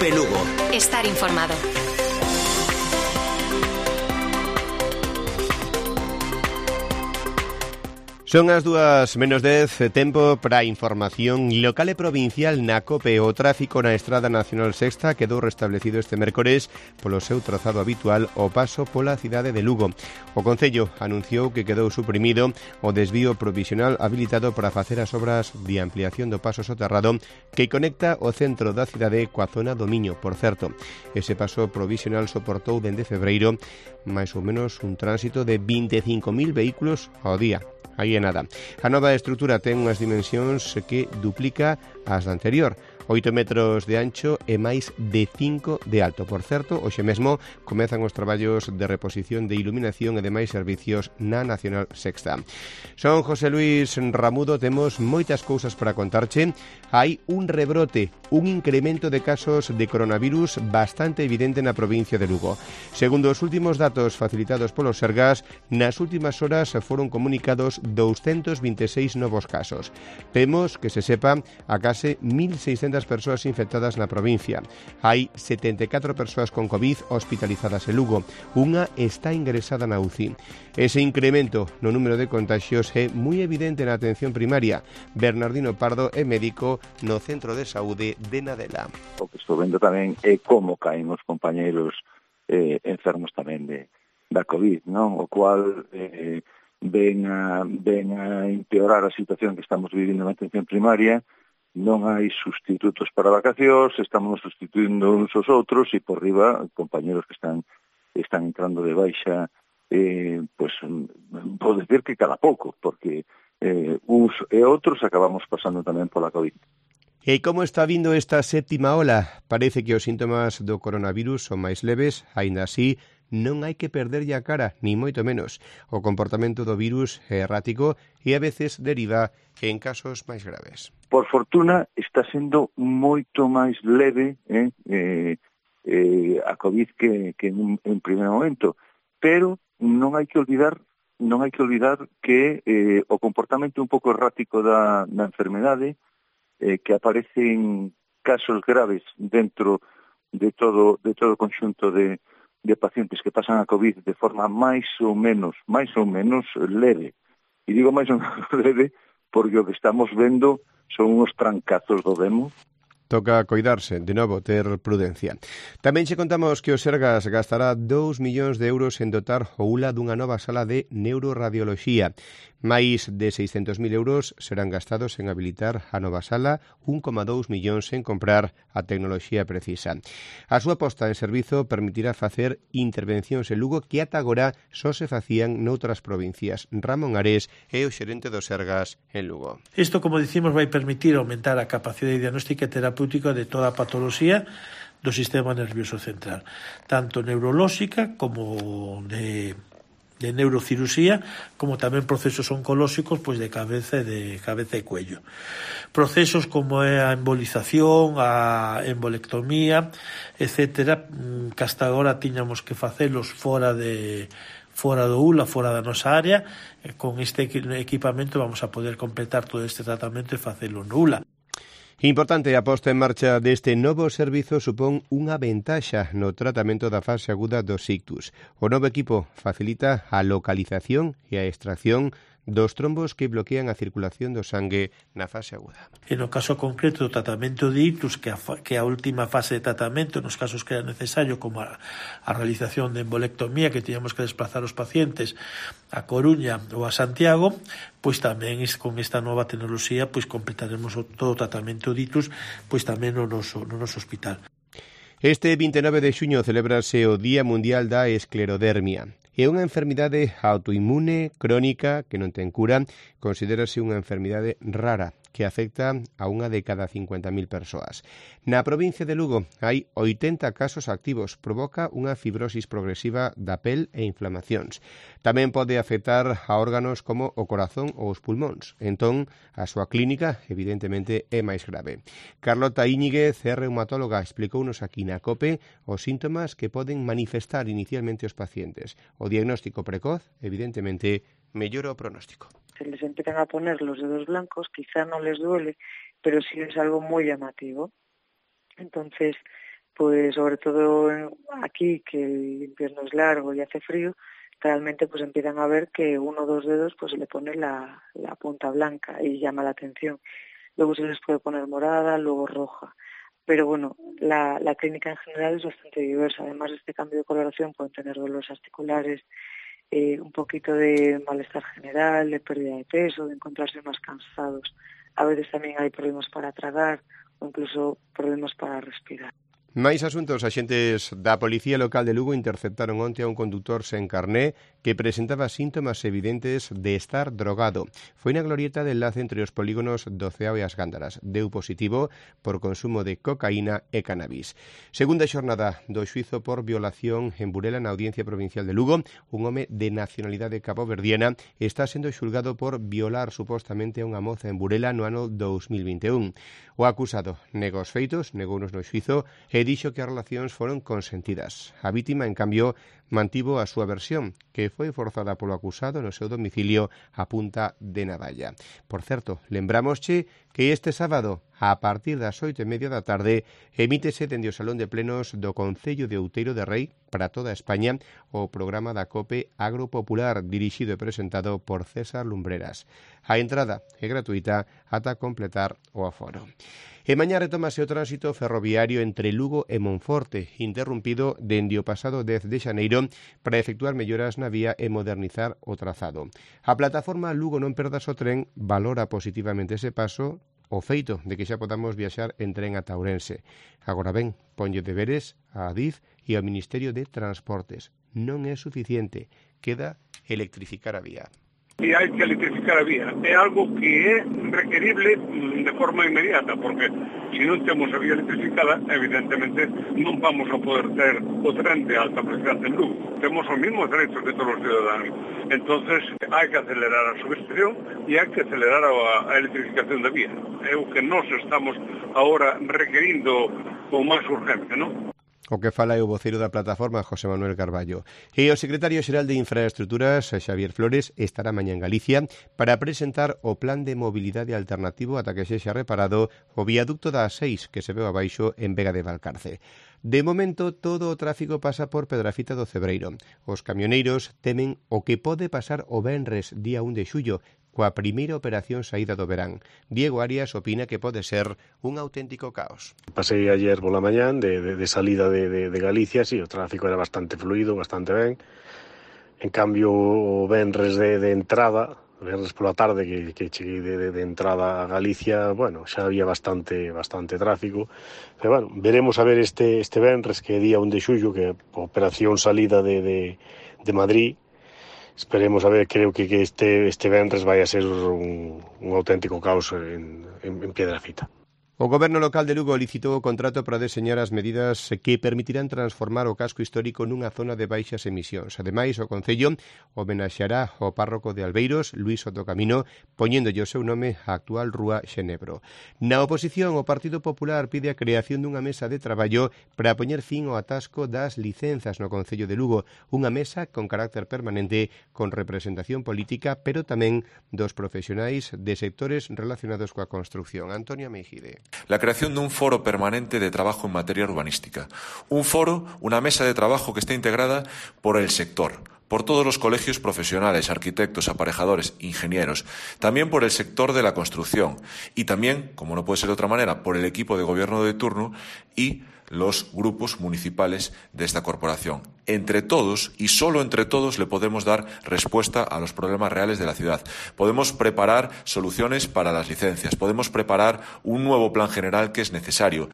COPE Lugo. Estar informado. Son as 2:10, tempo para a información local e provincial na COPE. O tráfico na Estrada Nacional Sexta quedou restablecido este mércores polo seu trazado habitual o paso pola cidade de Lugo. O Concello anunciou que quedou suprimido o desvío provisional habilitado para facer as obras de ampliación do paso soterrado que conecta o centro da cidade coa zona do Miño. Por certo, ese paso provisional soportou dende febreiro máis ou menos un tránsito de 25.000 vehículos ao día. Aí é nada. A nova estrutura ten unhas dimensións que duplica as da anterior. 8 metros de ancho e máis de 5 de alto. Por certo, hoxe mesmo comezan os traballos de reposición de iluminación e demais servicios na Nacional Sexta. Son José Luis Ramudo, temos moitas cousas para contarche. Hai un rebrote, un incremento de casos de coronavirus bastante evidente na provincia de Lugo. Segundo os últimos datos facilitados polos Sergas, nas últimas horas foron comunicados 226 novos casos. Temos, que se sepa, a case 1.600 persoas infectadas na provincia. Hai 74 persoas con COVID hospitalizadas en Lugo. Unha está ingresada na UCI. Ese incremento no número de contagios é moi evidente na atención primaria. Bernardino Pardo é médico no Centro de Saúde de Nadela. O que estou vendo tamén é como caen os compañeiros enfermos tamén da COVID, non? O cual ven a empeorar a situación que estamos vivindo na atención primaria. Non hai sustitutos para vacacións, estamos sustituindo uns aos outros e por riba compañeros que están entrando de baixa, pues vou decir que cada pouco, porque uns e outros acabamos pasando tamén pola COVID. E como está vindo esta séptima ola? Parece que os síntomas do coronavirus son máis leves, aínda así non hai que perderlle a cara, ni moito menos. O comportamento do virus é errático e a veces deriva en casos máis graves. Por fortuna está sendo moito máis leve a COVID que en primeiro momento, pero non hai que olvidar que o comportamento un pouco errático da enfermedade que aparecen casos graves dentro de todo o conxunto de pacientes que pasan a COVID de forma máis ou menos leve. E digo máis ou menos leve porque o que estamos vendo son uns trancazos do demo. Toca coidarse, de novo, ter prudencia. Tamén che contamos que o Sergas gastará 2 millóns de euros en dotar o ULA dunha nova sala de neuroradioloxía. Máis de 600.000 euros serán gastados en habilitar a nova sala, 1,2 millóns en comprar a tecnoloxía precisa. A súa posta en servizo permitirá facer intervencións en Lugo que ata agora só se facían noutras provincias. Ramón Ares é o xerente do Sergas en Lugo. Isto, como dicimos, vai permitir aumentar a capacidade diagnóstica e terapéutica de toda a patoloxía do sistema nervioso central, tanto neurolóxica como de neurocirusía, como tamén procesos oncolóxicos pois de cabeza e cuello. Procesos como é a embolización, a embolectomía, etcétera, que hasta agora tiñamos que facelos fora do ULA, fora da nosa área. Con este equipamento vamos a poder completar todo este tratamento e facelo no ULA. Importante, a posta en marcha deste novo servizo supón unha ventaxa no tratamento da fase aguda dos ictus. O novo equipo facilita a localización e a extracción dos trombos que bloquean a circulación do sangue na fase aguda. E no caso concreto do tratamento de ictus, que a última fase de tratamento, nos casos que era necesario, como a realización de embolectomía, que teníamos que desplazar os pacientes a Coruña ou a Santiago, pois tamén con esta nova tecnoloxía pois completaremos todo o tratamento de ictus pois tamén no noso hospital. Este 29 de xuño celebrase o Día Mundial da Esclerodermia. É unha enfermidade autoinmune, crónica, que non ten cura, considérase unha enfermidade rara, que afecta a unha de cada 50.000 persoas. Na provincia de Lugo hai 80 casos activos, provoca unha fibrosis progresiva da pel e inflamacións. Tamén pode afectar a órganos como o corazón ou os pulmóns. Entón, a súa clínica, evidentemente, é máis grave. Carlota Íñiguez, reumatóloga, explicounos aquí na COPE os síntomas que poden manifestar inicialmente os pacientes. O diagnóstico precoz, evidentemente, mellora o pronóstico. Se les empiezan a poner los dedos blancos, quizá no les duele, pero sí es algo muy llamativo. Entonces, pues sobre todo aquí, que el invierno es largo y hace frío, realmente pues empiezan a ver que uno o dos dedos pues se le pone la punta blanca y llama la atención. Luego se les puede poner morada, luego roja. Pero bueno, la clínica en general es bastante diversa. Además de este cambio de coloración pueden tener dolores articulares, un poquito de malestar general, de pérdida de peso, de encontrarse más cansados. A veces también hay problemas para tragar o incluso problemas para respirar. Máis asuntos. Axentes da Policía Local de Lugo interceptaron onte a un conductor sen carné que presentaba síntomas evidentes de estar drogado. Foi na glorieta de enlace entre os polígonos do Ceao e as Gándaras. Deu positivo por consumo de cocaína e cannabis. Segunda xornada do xuizo por violación en Burela na Audiencia Provincial de Lugo. Un home de nacionalidade caboverdiana está sendo xulgado por violar supostamente a unha moza en Burela no ano 2021. O acusado negou os feitos, negounos no xuizo e dixo que as relacións foron consentidas. A vítima, en cambio, mantivo a súa versión, que foi forzada polo acusado no seu domicilio a punta de navalla. Por certo, lembramosche que este sábado, a partir das 8:30 da tarde, emítese dende o Salón de Plenos do Concello de Outeiro de Rei para toda España o programa da COPE Agropopular, dirixido e presentado por César Lumbreras. A entrada é gratuita ata completar o aforo. E mañá retómase o tránsito ferroviario entre Lugo e Monforte, interrumpido dende o pasado 10 de xaneiro para efectuar melloras na vía e modernizar o trazado. A plataforma Lugo non perdas o tren valora positivamente ese paso, o feito de que xa podamos viaxar en tren ata Ourense. Agora ben, ponlle deberes a Adif e ao Ministerio de Transportes. Non é suficiente, queda electrificar a vía. Y hay que electrificar a vía. É algo que é requerible de forma inmediata, porque se non temos a vía electrificada, evidentemente non vamos a poder ter o tren de alta velocidade en Lugo. Temos os mismos derechos de todos os ciudadanos. Entonces, hai que acelerar a subestación e hai que acelerar a electrificación da vía. É o que nós estamos agora requerindo con máis urgencia, non? O que fala é o voceiro da plataforma, José Manuel Carballo. E o secretario xeral de Infraestructuras, Xavier Flores, estará mañá en Galicia para presentar o plan de mobilidade alternativo ata que sexa reparado o viaducto da A6 que se veu abaixo en Vega de Valcarce. De momento, todo o tráfico pasa por Pedrafita do Cebreiro. Os camioneiros temen o que pode pasar o venres día 1 de xullo, coa primeira operación saída do verán. Diego Arias opina que pode ser un auténtico caos. Pasei ayer pola mañán de salida de Galicia, sí, o tráfico era bastante fluido, bastante ben. En cambio, o venres de entrada, o venres pola tarde que cheguei de entrada a Galicia, bueno, xa había bastante tráfico. Pero bueno, veremos a ver este venres, que é día 1 de xullo, que é a operación salida de Madrid. Esperemos a ver, creo que este venres vai a ser un auténtico caos en Piedrafita. O Goberno local de Lugo licitou o contrato para deseñar as medidas que permitirán transformar o casco histórico nunha zona de baixas emisións. Ademais, o Concello homenaxeará ao párroco de Albeiros, Luís Sotocamino, poñéndolle o seu nome á actual rúa Xenebro. Na oposición, o Partido Popular pide a creación dunha mesa de traballo para poñer fin ao atasco das licenzas no Concello de Lugo, unha mesa con carácter permanente con representación política, pero tamén dos profesionais de sectores relacionados coa construcción. Antonio Meijide. La creación de un foro permanente de trabajo en materia urbanística. Un foro, una mesa de trabajo que esté integrada por el sector, por todos los colegios profesionales, arquitectos, aparejadores, ingenieros, también por el sector de la construcción y también, como no puede ser de otra manera, por el equipo de gobierno de turno y los grupos municipales de esta corporación. Entre todos, y solo entre todos, le podemos dar respuesta a los problemas reales de la ciudad. Podemos preparar soluciones para las licencias, podemos preparar un nuevo plan general que es necesario.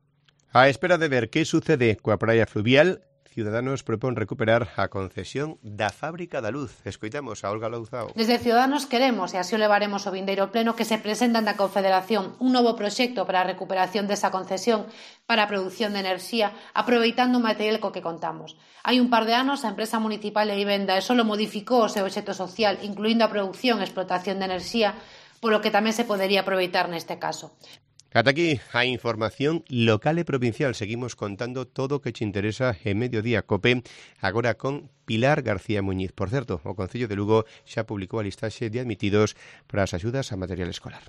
A espera de ver que sucede coa praia fluvial, Ciudadanos propón recuperar a concesión da Fábrica da Luz. Escoitamos a Olga Louzao. Desde Ciudadanos queremos, e así o levaremos ao vindeiro pleno, que se presentan da Confederación un novo proxecto para a recuperación desa concesión para a produción de enerxía, aproveitando o material co que contamos. Hai un par de anos, a empresa municipal de vivenda só modificou o seu obxecto social, incluindo a produción e explotación de enerxía, polo que tamén se podería aproveitar neste caso. Ata aquí a información local e provincial. Seguimos contando todo o que te interesa en Mediodía Cope, agora con Pilar García Muñiz. Por certo, o Concello de Lugo xa publicou a listaxe de admitidos para as axudas a material escolar.